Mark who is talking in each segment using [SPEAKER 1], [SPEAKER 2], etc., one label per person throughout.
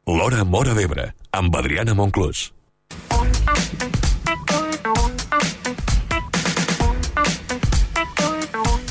[SPEAKER 1] L'Hora Móra d'Ebre, amb Adriana Monclús.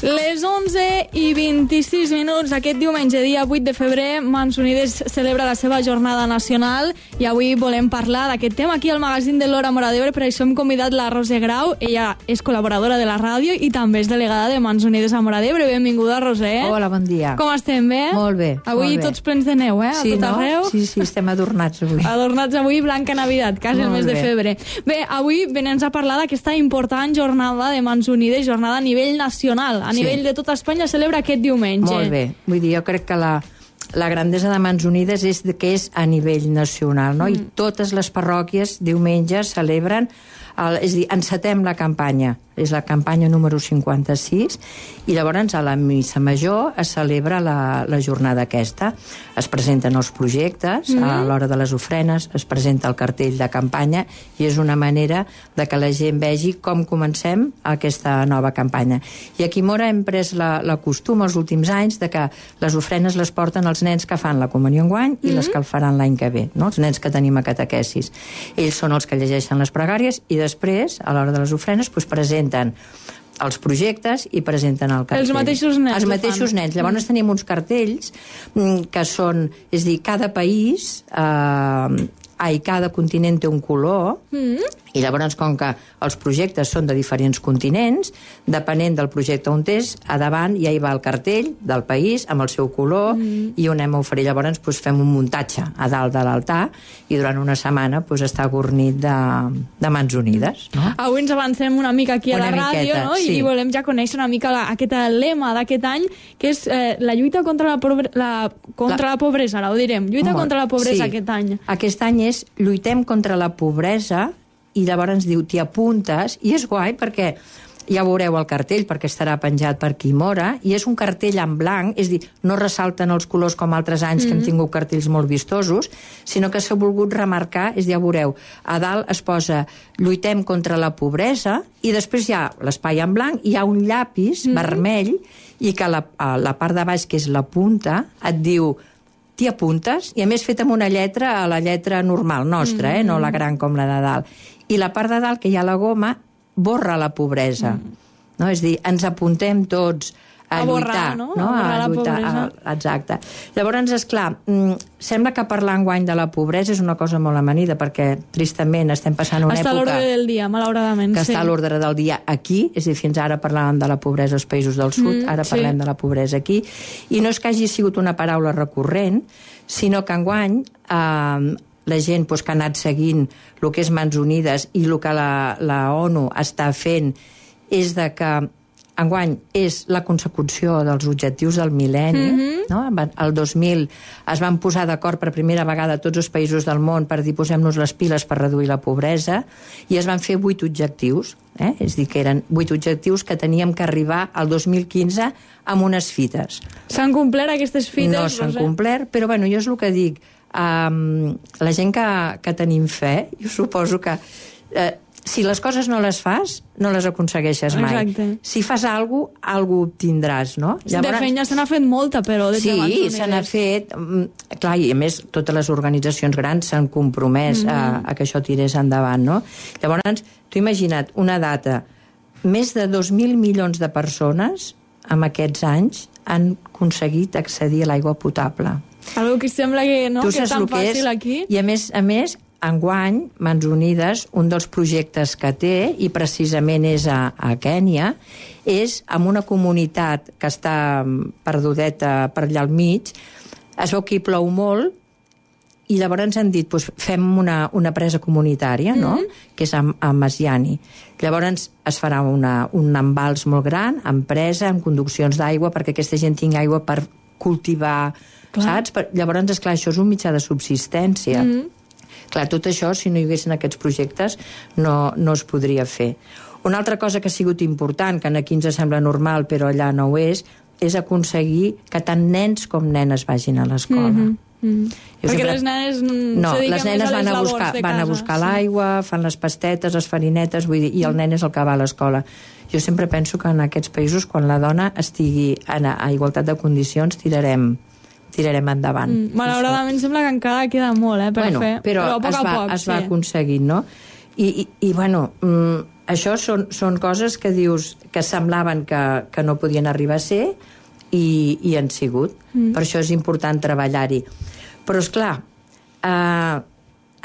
[SPEAKER 2] Les 11:26 aquest diumenge, dia 8 de febrer, Mans Unides celebra la seva jornada nacional i avui volem parlar d'aquest tema aquí al magazín de l'Hora Móra d'Ebre. Per això hem convidat la Roser Grau. Ella és col·laboradora de la ràdio i també és delegada de Mans Unides a Móra d'Ebre. Benvinguda, Roser.
[SPEAKER 3] Hola, bon dia.
[SPEAKER 2] Com estem, bé?
[SPEAKER 3] Molt bé.
[SPEAKER 2] Avui
[SPEAKER 3] molt bé.
[SPEAKER 2] tots plens de neu, a
[SPEAKER 3] sí,
[SPEAKER 2] tot
[SPEAKER 3] no?
[SPEAKER 2] arreu.
[SPEAKER 3] Sí, estem adornats avui.
[SPEAKER 2] Adornats avui, Blanca Navidad, quasi el mes de febrer. Bé, avui venim a parlar d'aquesta important jornada de Mans Unides, jornada a nivell nacional, a nivell de tota Espanya, celebra aquest diumenge.
[SPEAKER 3] Molt bé. Vull dir, jo crec que la grandesa de Mans Unides és que és a nivell nacional, no? I totes les parròquies diumenge celebren, és a dir, encetem la campanya. És la campanya número 56 i llavors a la missa major es celebra la jornada aquesta. Es presenten els projectes, a l'hora de les ofrenes es presenta el cartell de campanya i és una manera de que la gent vegi com comencem aquesta nova campanya. I aquí a Móra hem pres la costum els últims anys de que les ofrenes les porten els nens que fan la comunió enguany i les que el faran l'any que ve, no? Els nens que tenim a catequesis. Ells són els que llegeixen les pregàries i després, a l'hora de les ofrenes, presenten els projectes i presenten el cartell.
[SPEAKER 2] Els mateixos nens.
[SPEAKER 3] Els mateixos nens. Llavors tenim uns cartells que són, és a dir, cada país, cada continent té un color, i llavors, com que els projectes són de diferents continents, depenent del projecte on és, a davant ja hi va el cartell del país amb el seu color i on anem a oferir. Llavors fem un muntatge a dalt de l'altar i durant una setmana està guarnit de Mans Unides. No?
[SPEAKER 2] Avui ens avancem una mica aquí a la ràdio, no?
[SPEAKER 3] Sí.
[SPEAKER 2] I volem ja conèixer una mica aquest lema d'aquest any, que és la lluita contra la pobresa, ara ho direm. Lluita contra la pobresa aquest any.
[SPEAKER 3] Aquest any és lluitem contra la pobresa i llavors ens diu t'hi apuntes i és guai perquè ja veureu el cartell perquè estarà penjat per aquí Móra i és un cartell en blanc, és a dir, no ressalten els colors com altres anys que hem tingut cartells molt vistosos, sinó que s'ha volgut remarcar, és a dir, ja veureu, a dalt es posa lluitem contra la pobresa i després hi ha l'espai en blanc, hi ha un llapis vermell i que a la part de baix, que és la punta, et diu t'hi apuntes, i a més fet amb una lletra, la lletra normal nostra, no la gran com la de dalt. I la part de dalt, que hi ha la goma, borra la pobresa. No? És a dir, ens apuntem tots a lluitar.
[SPEAKER 2] No? A borrar la pobresa.
[SPEAKER 3] Exacte. Llavors, esclar, sembla que parlar enguany de la pobresa és una cosa molt amanida, perquè tristament estem passant una època...
[SPEAKER 2] Està a l'ordre del dia, malauradament.
[SPEAKER 3] Que està a l'ordre del dia aquí, és a dir, fins ara parlàvem de la pobresa als països del sud, ara parlem de la pobresa aquí, i no és que hagi sigut una paraula recurrent, sinó que enguany la gent que ha anat seguint el que és Mans Unides i el que la ONU està fent és de que enguany és la consecució dels objectius del mil·lenni. No? El 2000 es van posar d'acord per primera vegada tots els països del món per dir posem-nos les piles per reduir la pobresa i es van fer 8 objectius. És a dir, que eren 8 objectius que teníem que arribar al 2015 amb unes fites.
[SPEAKER 2] S'han complert aquestes fites?
[SPEAKER 3] No s'han complert, però bueno, jo és el que dic. La gent que tenim fe, jo suposo que si les coses no les fas, no les aconsegueixes mai.
[SPEAKER 2] Exacte.
[SPEAKER 3] Si fas alguna cosa obtindràs, no?
[SPEAKER 2] Llavors, de feina se n'ha fet molta, però...
[SPEAKER 3] Sí, se n'ha fet... Clar, i a més, totes les organitzacions grans s'han compromès a que això tirés endavant, no? Llavors, tu imagina't una data, més de 2.000 milions de persones en aquests anys han aconseguit accedir a l'aigua potable.
[SPEAKER 2] Algo que sembla que no, que és tan fàcil aquí.
[SPEAKER 3] I a més, enguany, Mans Unides, un dels projectes que té, i precisament és a Kènia, és amb una comunitat que està perdudeta per allà al mig, es veu que hi plou molt, i llavors ens han dit, fem una presa comunitària, no? Que és a Masiani. Llavors es farà un embals molt gran, amb presa, amb conduccions d'aigua, perquè aquesta gent tingui aigua per cultivar, saps? Llavors, esclar, això és un mitjà de subsistència. Clar, tot això, si no hi haguessin aquests projectes, no es podria fer. Una altra cosa que ha sigut important, que aquí ens sembla normal, però allà no ho és aconseguir que tant nens com nenes vagin a l'escola.
[SPEAKER 2] Perquè les nenes
[SPEAKER 3] no, les nenes van a buscar l'aigua, fan les pastetes, les farinetes, vull dir, i el nen és el que va a l'escola. Jo sempre penso que en aquests països, quan la dona estigui a igualtat de condicions, tirarem tirarem endavant.
[SPEAKER 2] Malauradament sembla que encara queda molt per fer,
[SPEAKER 3] però
[SPEAKER 2] a poc
[SPEAKER 3] es va aconseguint, no? I bueno, això són coses que dius que semblaven que no podien arribar a ser i han sigut. Per això és important treballar-hi. Però, esclar,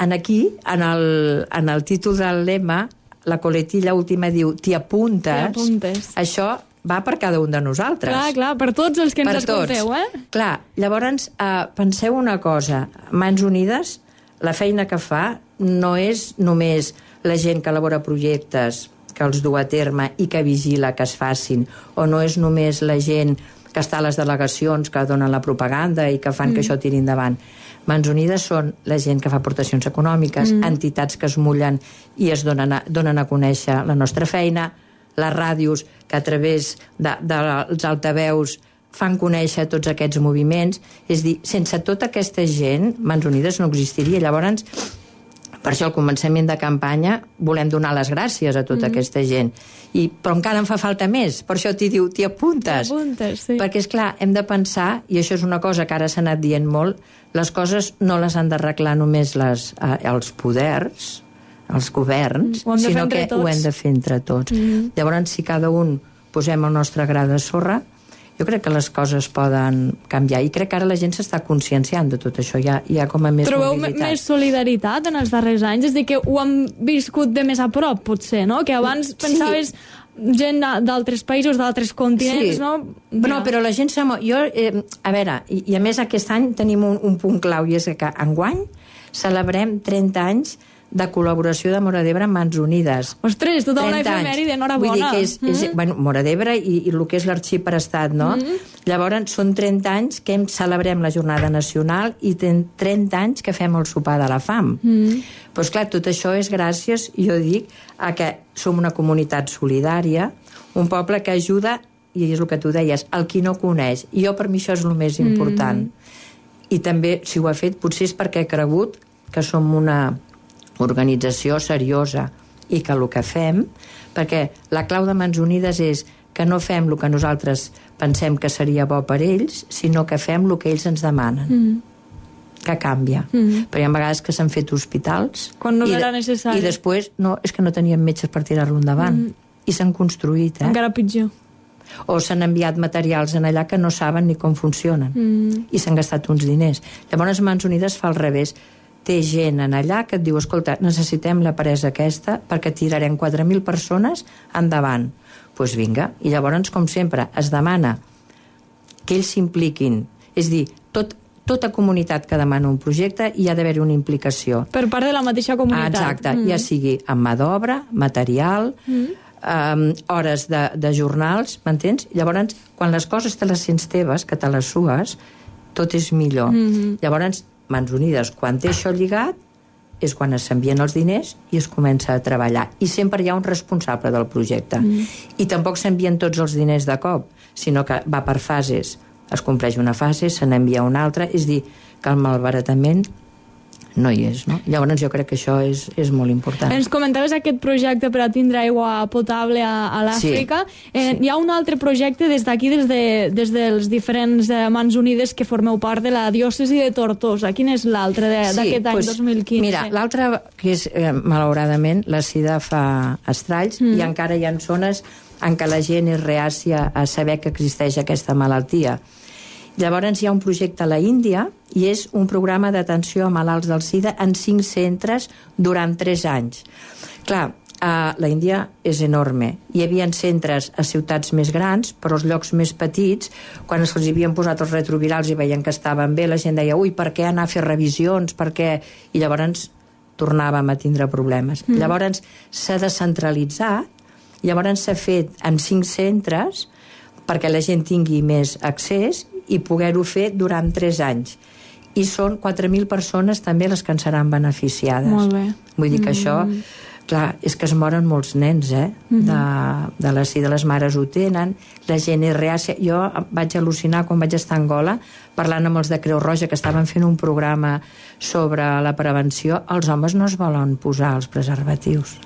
[SPEAKER 3] aquí, en el títol del lema, la coletilla última diu «T'hi apuntes». Això va per cada un de nosaltres.
[SPEAKER 2] Clar, per tots els que ens escolteu,
[SPEAKER 3] Clar, llavors, penseu una cosa. Mans Unides, la feina que fa no és només la gent que elabora projectes, que els du a terme i que vigila que es facin, o no és només la gent que està a les delegacions, que donen la propaganda i que fan que això tiri endavant. Mans Unides són la gent que fa aportacions econòmiques, entitats que es mullen i es donen a conèixer la nostra feina, les ràdios que a través dels altaveus fan conèixer tots aquests moviments. És a dir, sense tota aquesta gent, Mans Unides no existiria. Llavors, per això al començament de campanya volem donar les gràcies a tota aquesta gent. Però encara en fa falta més. Per això t'hi apuntes.
[SPEAKER 2] Sí.
[SPEAKER 3] Perquè, esclar, hem de pensar, i això és una cosa que ara s'ha anat dient molt, les coses no les han d'arreglar només els poders, els governs, sinó que ho hem de fer entre tots. Llavors, si cada un posem el nostre gra de sorra, jo crec que les coses poden canviar. I crec que ara la gent s'està conscienciant de tot això. Hi ha com a més
[SPEAKER 2] Trobeu
[SPEAKER 3] mobilitat.
[SPEAKER 2] més solidaritat en els darrers anys? És a dir, que ho han viscut de més a prop, potser, no? Que abans pensaves gent d'altres països, d'altres continents, no?
[SPEAKER 3] No, però la gent s'ha... A veure, i a més aquest any tenim un punt clau, i és que enguany celebrem 30 anys de col·laboració de Móra d'Ebre amb Mans Unides.
[SPEAKER 2] Ostres, tota una efemèride, enhorabona.
[SPEAKER 3] Vull dir que és Móra d'Ebre i el que és l'arxiprestat, no? Llavors, són 30 anys que celebrem la jornada nacional i 30 anys que fem el sopar de la fam. Doncs clar, tot això és gràcies, jo dic, a que som una comunitat solidària, un poble que ajuda, i és el que tu deies, el qui no coneix. I jo, per mi, això és el més important. I també, si ho ha fet, potser és perquè he cregut que som una organització seriosa i que el que fem, perquè la clau de Mans Unides és que no fem el que nosaltres pensem que seria bo per ells, sinó que fem el que ells ens demanen. Que canvia. Però hi ha vegades que s'han fet hospitals
[SPEAKER 2] quan no era necessari.
[SPEAKER 3] I després és que no teníem metges per tirar-lo endavant. I s'han construït.
[SPEAKER 2] Encara pitjor.
[SPEAKER 3] O s'han enviat materials en allà que no saben ni com funcionen. I s'han gastat uns diners. Llavors Mans Unides fa al revés. Té gent en allà que et diu, escolta, necessitem la presa aquesta perquè tirarem 4.000 persones endavant. Doncs vinga. I llavors, com sempre, es demana que ells s'impliquin. És dir, tota comunitat que demana un projecte hi ha d'haver una implicació.
[SPEAKER 2] Per part de la mateixa comunitat.
[SPEAKER 3] Exacte. Ja sigui amb mà d'obra, material, hores de jornals, m'entens? Llavors, quan les coses te les sents teves, que te les sues, tot és millor. Llavors, Mans Unides, quan té això lligat, és quan s'envien els diners i es comença a treballar. I sempre hi ha un responsable del projecte. I tampoc s'envien tots els diners de cop, sinó que va per fases. Es compleix una fase, se n'envia una altra, és dir, que el malbaratament no hi és, no? Llavors jo crec que això és molt important.
[SPEAKER 2] Ens comentaves aquest projecte per a tindre aigua potable a l'Àfrica. Hi ha un altre projecte des d'aquí, des dels diferents Mans Unides que formeu part de la diòcesi de Tortosa. Quin és l'altre d'aquest any 2015?
[SPEAKER 3] Mira, l'altre, que és, malauradament, la sida fa estralls i encara hi ha zones en què la gent és reàcia a saber que existeix aquesta malaltia. Llavors hi ha un projecte a la Índia i és un programa d'atenció a malalts del SIDA en 5 centres durant 3 anys. Clar, la Índia és enorme. Hi havia centres a ciutats més grans, però als llocs més petits, quan se'ls havien posat els retrovirals i veien que estaven bé, la gent deia, ui, per què anar a fer revisions, per què? I llavors tornàvem a tindre problemes. Llavors s'ha descentralitzat, llavors s'ha fet en 5 centres perquè la gent tingui més accés i poder-ho fer durant 3 anys. I són 4.000 persones també les que en seran beneficiades.
[SPEAKER 2] Molt bé.
[SPEAKER 3] Vull dir que això, clar, és que es moren molts nens, de la sida, les mares ho tenen, la gent és reàcia. Jo vaig al·lucinar quan vaig estar a Angola parlant amb els de Creu Roja que estaven fent un programa sobre la prevenció. Els homes no es volen posar els preservatius.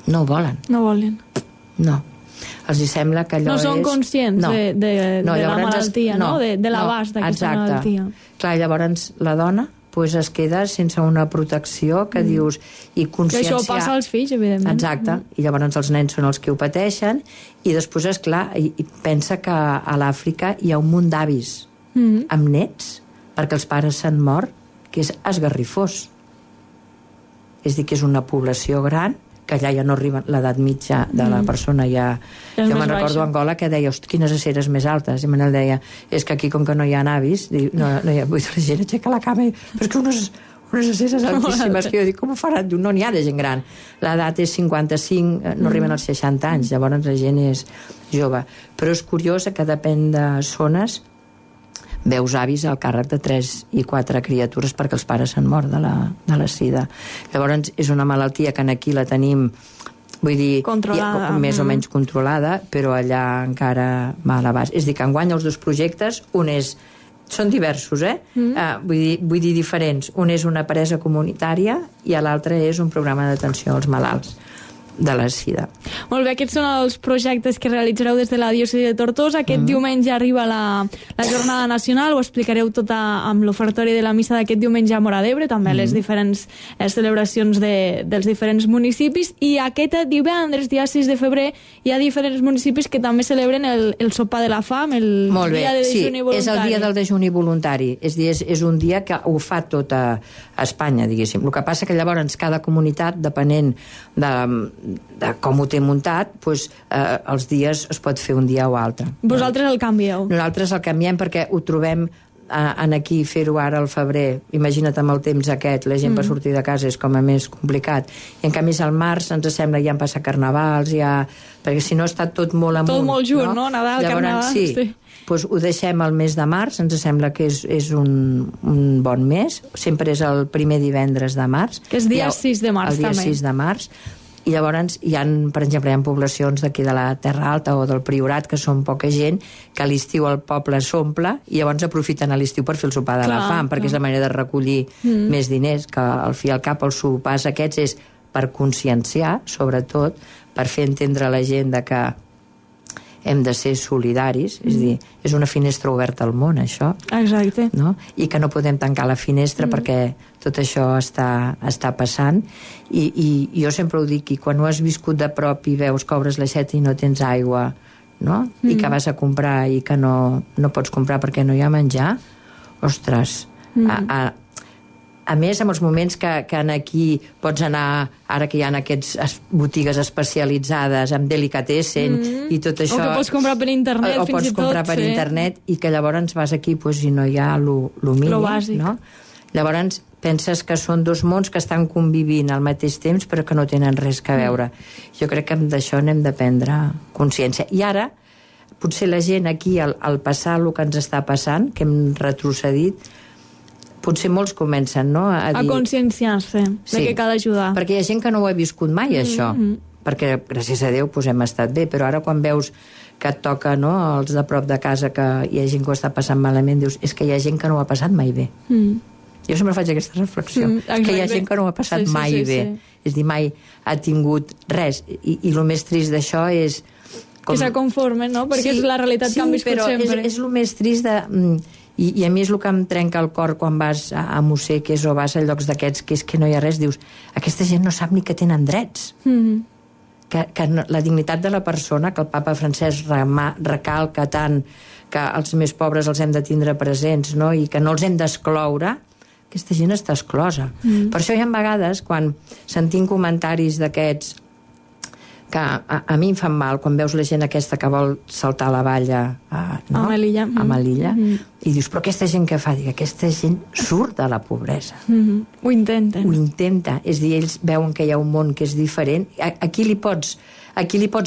[SPEAKER 3] No ho volen.
[SPEAKER 2] No volen.
[SPEAKER 3] No. Els hi sembla que allò
[SPEAKER 2] no són conscients de la malaltia, no? De l'abast d'aquesta malaltia.
[SPEAKER 3] Clar, llavors la dona es queda sense una protecció que dius... I consciència...
[SPEAKER 2] Que això passa als fills, evidentment.
[SPEAKER 3] Exacte. I llavors els nens són els que ho pateixen i després, esclar, i pensa que a l'Àfrica hi ha un munt d'avis amb nets perquè els pares s'han mort, que és esgarrifós. És a dir, que és una població gran que allà ja no arriba l'edat mitja de la persona, ja... Jo me'n recordo a Angola que deia, hosti, quines aceres més altes, i Manel deia, és que aquí com que no hi ha avis, no hi ha... Vull dir, la gent aixeca la cama, però és que unes aceres altíssimes, que jo dic, com ho faran? No n'hi ha de gent gran. L'edat és 55, no arriben als 60 anys, llavors la gent és jove. Però és curiós que depèn de zones, veus avis al càrrec de 3 i 4 criatures perquè els pares s'han mort de la sida. Llavors és una malaltia que aquí la tenim, vull dir, més o menys controlada, però allà encara va a l'abast. És a dir, que enguany els dos projectes, són diversos, vull dir diferents. Un és una presa comunitària i l'altre és un programa d'atenció als malalts de la sida.
[SPEAKER 2] Molt bé, aquests són els projectes que realitzareu des de la diòcesi de Tortosa. Aquest diumenge arriba la jornada nacional, ho explicareu tot amb l'ofertori de la missa d'aquest diumenge a Móra d'Ebre, també les diferents celebracions dels diferents municipis, i aquest divendres, dia 6 de febrer, hi ha diferents municipis que també celebren el sopar de la fam, el dia de dejuni voluntari.
[SPEAKER 3] És el dia del dejuni voluntari, és un dia que ho fa tot a Espanya, diguéssim. El que passa que llavors cada comunitat, depenent de com ho té muntat, els dies es pot fer un dia o altre.
[SPEAKER 2] Vosaltres el canvieu?
[SPEAKER 3] Nosaltres el canviem perquè ho trobem aquí, fer-ho ara al febrer, imagina't amb el temps aquest, la gent per sortir de casa és com a més complicat, i en canvi al març ens sembla ja han passat carnavals, perquè si no està tot molt amunt.
[SPEAKER 2] Tot molt junt, no? Nadal,
[SPEAKER 3] llavors, carnaval. Doncs ho deixem al mes de març, ens sembla que és un bon mes, sempre és el primer divendres de març.
[SPEAKER 2] Que és dia 6 de març,
[SPEAKER 3] també. El dia 6 de març. I llavors per exemple, hi ha poblacions d'aquí de la Terra Alta o del Priorat, que són poca gent, que a l'estiu el poble s'omple i llavors aprofiten a l'estiu per fer el sopar de la fam, perquè és la manera de recollir més diners, que al fi i al cap els sopars aquests és per conscienciar, sobretot, per fer entendre a la gent que hem de ser solidaris, és a dir, és una finestra oberta al món, això.
[SPEAKER 2] Exacte.
[SPEAKER 3] No? I que no podem tancar la finestra perquè tot això està passant. I jo sempre ho dic, i quan ho has viscut de prop i veus que obres l'aixeta i no tens aigua, no? I que vas a comprar i que no pots comprar perquè no hi ha menjar, ostres, a més, en els moments que aquí pots anar, ara que hi ha aquestes botigues especialitzades amb delicatessen i tot això...
[SPEAKER 2] O que pots comprar per internet, fins i tot.
[SPEAKER 3] O pots comprar per internet i que llavors vas aquí i no hi ha lo mínim.
[SPEAKER 2] Lo bàsic.
[SPEAKER 3] No? Llavors penses que són dos mons que estan convivint al mateix temps però que no tenen res a veure. Jo crec que d'això n'hem de prendre consciència. I ara, potser la gent aquí, al passar el que ens està passant, que hem retrocedit, potser molts comencen, no?, a
[SPEAKER 2] conscienciar-se de que cal ajudar.
[SPEAKER 3] Perquè hi ha gent que no ho ha viscut mai, això. Perquè, gràcies a Déu, hem estat bé, però ara quan veus que et toca, no?, els de prop de casa, que hi ha gent que ho està passant malament, dius, és que hi ha gent que no ho ha passat mai bé. Jo sempre faig aquesta reflexió. És que hi ha gent que no ho ha passat mai bé. És a dir, mai ha tingut res. I el més trist d'això és...
[SPEAKER 2] Que se conformen, no?, perquè és la realitat que han viscut sempre.
[SPEAKER 3] Sí, però és el més trist de... I a mi és el que em trenca el cor quan vas a Museques o vas a llocs d'aquests, que és que no hi ha res, dius, aquesta gent no sap ni que tenen drets. Que la dignitat de la persona, que el papa Francesc recalca tant, que els més pobres els hem de tindre presents, no?, i que no els hem d'excloure, aquesta gent està exclosa. Per això hi ha vegades, quan sentim comentaris d'aquests, que a mi em fan mal quan veus la gent aquesta que vol saltar la valla a Melilla, i dius, però aquesta gent què fa? Dic, aquesta gent surt de la pobresa.
[SPEAKER 2] Ho intenten.
[SPEAKER 3] Ho intenta. És a dir, ells veuen que hi ha un món que és diferent. Aquí li pots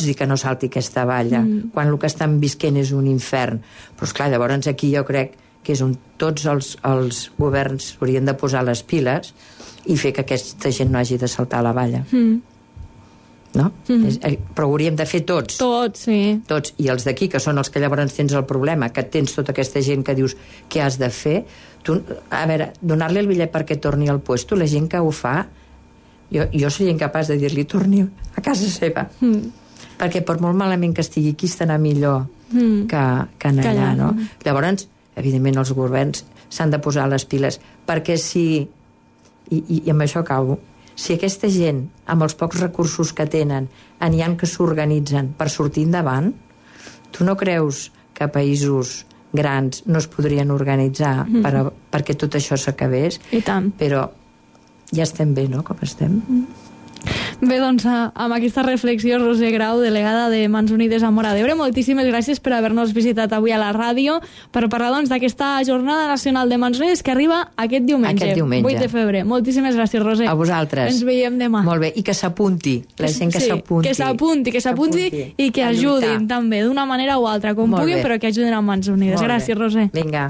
[SPEAKER 3] dir que no salti aquesta valla, quan el que estan visquent és un infern. Però esclar, llavors aquí jo crec que és on tots els governs haurien de posar les piles i fer que aquesta gent no hagi de saltar la valla. No? Però ho hauríem de fer tots.
[SPEAKER 2] Tots, sí.
[SPEAKER 3] Tots. I els d'aquí, que són els que llavors tens el problema, que tens tota aquesta gent que dius què has de fer, tu, a veure, donar-li el bitllet perquè torni al puesto, la gent que ho fa, jo seria incapaç de dir-li torni a casa seva. perquè per molt malament que estigui aquí estarà millor que en allà, no? Llavors, evidentment, els governs s'han de posar les piles, perquè si, i amb això acabo, si aquesta gent, amb els pocs recursos que tenen, n'hi ha que s'organitzen per sortir endavant, tu no creus que països grans no es podrien organitzar perquè tot això s'acabés?
[SPEAKER 2] I tant.
[SPEAKER 3] Però ja estem bé, no?, com estem.
[SPEAKER 2] Bé, doncs, amb aquesta reflexió, Roser Grau, delegada de Mans Unides a Móra d'Ebre, moltíssimes gràcies per haver-nos visitat avui a la ràdio per parlar, doncs, d'aquesta Jornada Nacional de Mans Unides que arriba aquest diumenge, 8 de febrer. Moltíssimes gràcies, Roser.
[SPEAKER 3] A vosaltres.
[SPEAKER 2] Ens veiem demà.
[SPEAKER 3] Molt bé, i que s'apunti, la gent que s'apunti.
[SPEAKER 2] Que s'apunti i que ajudin també, d'una manera o altra, com puguin, però que ajudin a Mans Unides. Gràcies, Roser.
[SPEAKER 3] Vinga.